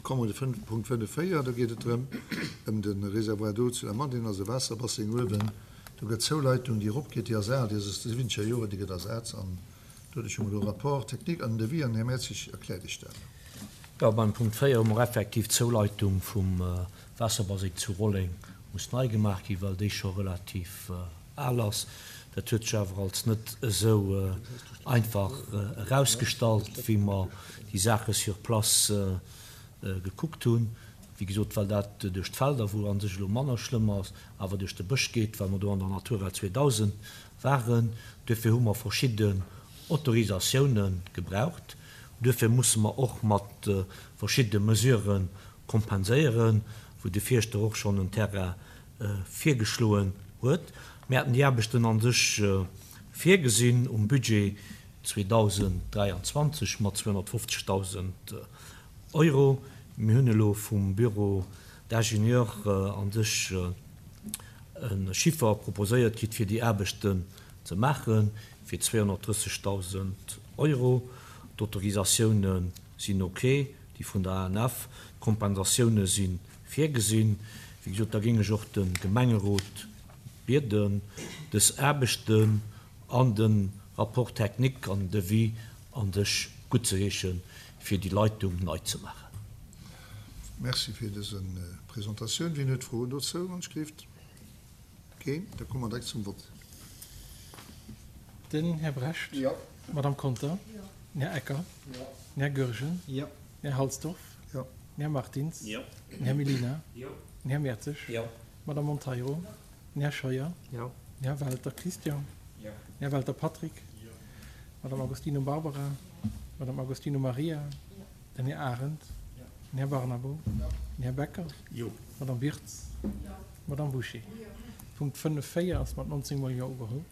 Komme mer de Punkt 5, 4, do geet et drëm, ëm de Réservoir d'eau zu Lamadelaine, also e Waasserbasseng uewen. Do gëtt d'Zouleitung, déi eropgeet, déi ass al, déi ass aus de siwwenzeger Joren, déi gëtt ersat. An doduerch hu mer do e Rapport technique an en Devis an den Här Mertzig erkläert Iech dat. Jo, beim Punkt 4 hu mer effektiv d'Zouleitung vum Waasserbaseng zu Rolleng muss nei gemaach ginn, well déi scho relativ al ass. Dat huet sech awer als net esou einfach erausgestallt, wéi mer déi Saache sur place gekuckt hunn. Wéi gesot, well dat duerch d'Felder, wou a sech elo manner schlëmm ass, awer duerch de Bësch geet, well mer do an der Natura 2000 waren. Duerfir hu mer verschidden Autorisatioune gebraucht. Duerfir musse mer och mat verschidde Mesurë kompenséieren, wou de Fierschter och schonn en Terrain virgeschloen huet. Mir haten déi Aarbechten a sech virgesinn um Budget 2023 mat 250.000 Euro. Mir hunn elo vum Bureau d'ingénieurs a sech e Chiffer proposéiert kritt, fir déi Aarbechten ze maachen, fir 230.000 Euro. D'Autorisatioune sinn ok, déi vun der ANF. D'Kompensatioune si virgesinn. Wéi gesot, da géing ech och de Gemengerot bieden, dës Aarbechten an de Rapport technique an den Devis a sech guttzeheeschen, fir déi Leitung nei ze maachen. Merci fir dëse Presentatioun. Wien huet Froen dozou? Wann ech gleeft keen, da komme mer direkt zum Vott. Den Här Brecht. Jo. D'Madame Conter. Jo. Den Här Ecker. Jo. Den Här Goergen. Jo. Den Här Halsdorf. Jo. Den Här Martins. Jo. Den Här Mellina. Jo. Den Här Mertzig. Jo. D'Madame Monteiro. Den Här Scheuer. Jo. Den Här Welter Christian. Jo. Den Här Welter Patrick. Jo. D'Madame Agostino Barbara. Jo. D'Madame Agostino Maria. Jo. Den Här Arendt. Jo. Den Här Barnabo. Jo. Den Här Becker. Jo. D'Madame Wirtz. Jo. D'Madame Bouché. Jo. Punkt 5, 4 ass mat 19 mol Jo ugeholl.